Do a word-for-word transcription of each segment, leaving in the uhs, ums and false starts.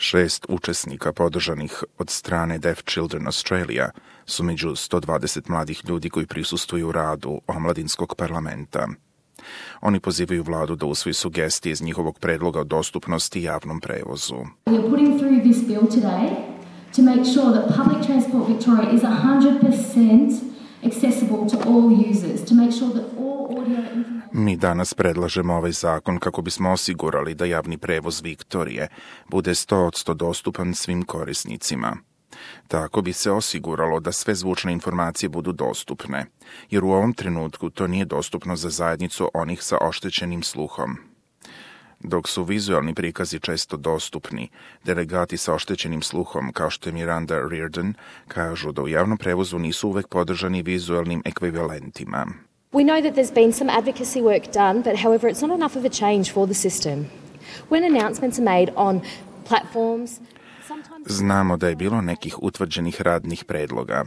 Šest učesnika podržanih od strane Deaf Children Australia su među sto dvadeset mladih ljudi koji prisustvuju radu omladinskog parlamenta. Oni pozivaju vladu da usvoji sugestije iz njihovog predloga o dostupnosti i javnom prevozu. We are putting through this bill today to make sure that public transport Victoria is one hundred percent accessible to all users, to make sure that all audio information... Mi danas predlažemo ovaj zakon kako bismo osigurali da javni prevoz Viktorije bude sto posto dostupan svim korisnicima. Tako bi se osiguralo da sve zvučne informacije budu dostupne, jer u ovom trenutku to nije dostupno za zajednicu onih sa oštećenim sluhom. Dok su vizualni prikazi često dostupni, delegati sa oštećenim sluhom, kao što je Miranda Reardon, kažu da u javnom prevozu nisu uvek podržani vizualnim ekvivalentima. We know that there's been some advocacy work done, but however it's not enough of a change for the system. When announcements are made on platforms, Znamo da je bilo nekih utvrđenih radnih predloga,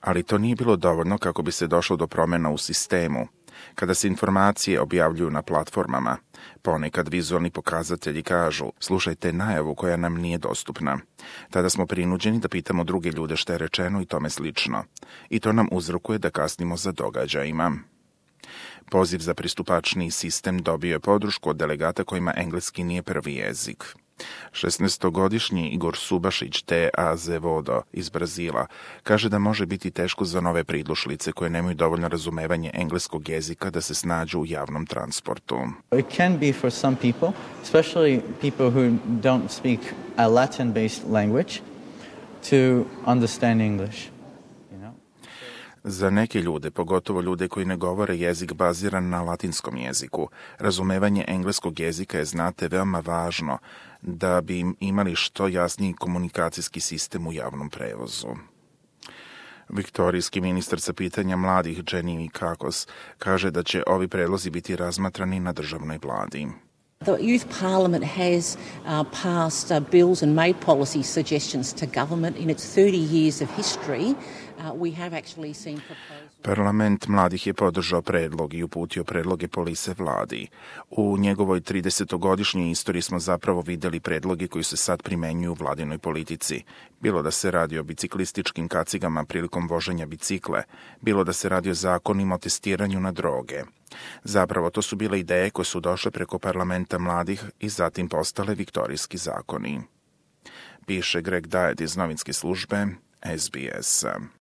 ali to nije bilo dovoljno kako bi se došlo do promjena u sistemu. Kada se informacije objavljuju na platformama, ponekad vizualni pokazatelji kažu slušajte najavu koja nam nije dostupna. Tada smo prinuđeni da pitamo druge ljude šta je rečeno i tome slično. I to nam uzrokuje da kasnimo za događajima. Poziv za pristupačniji sistem dobio je podršku od delegata kojima engleski nije prvi jezik. šesnaestogodišnji Igor Subašić te Azevodo iz Brazila kaže da može biti teško za nove pridošlice koje nemaju dovoljno razumevanje engleskog jezika da se snađu u javnom transportu. It can be for some people, especially people who don't speak a Latin-based language, to understand English. Za neke ljude, pogotovo ljude koji ne govore jezik baziran na latinskom jeziku, razumevanje engleskog jezika je, znate, veoma važno da bi im imali što jasniji komunikacijski sistem u javnom prevozu. Viktorijski ministar za pitanja mladih Jenny Kakos kaže da će ovi predlozi biti razmatrani na državnoj vladi. The Youth Parliament has uh, passed uh, bills and made policy suggestions to government in its thirty years of history. Uh, we have actually seen proposals. Parlament mladih je podržao predlog i uputio predloge polise vladi. U njegovoj tridesetogodišnjoj istoriji smo zapravo videli predloge koji se sad primenjuju u vladinoj politici. Bilo da se radi o biciklističkim kacigama prilikom voženja bicikle, bilo da se radi o zakonima o testiranju na droge. Zapravo, to su bile ideje koje su došle preko parlamenta mladih i zatim postale viktorijski zakoni. Piše Greg Diet iz novinske službe S B S.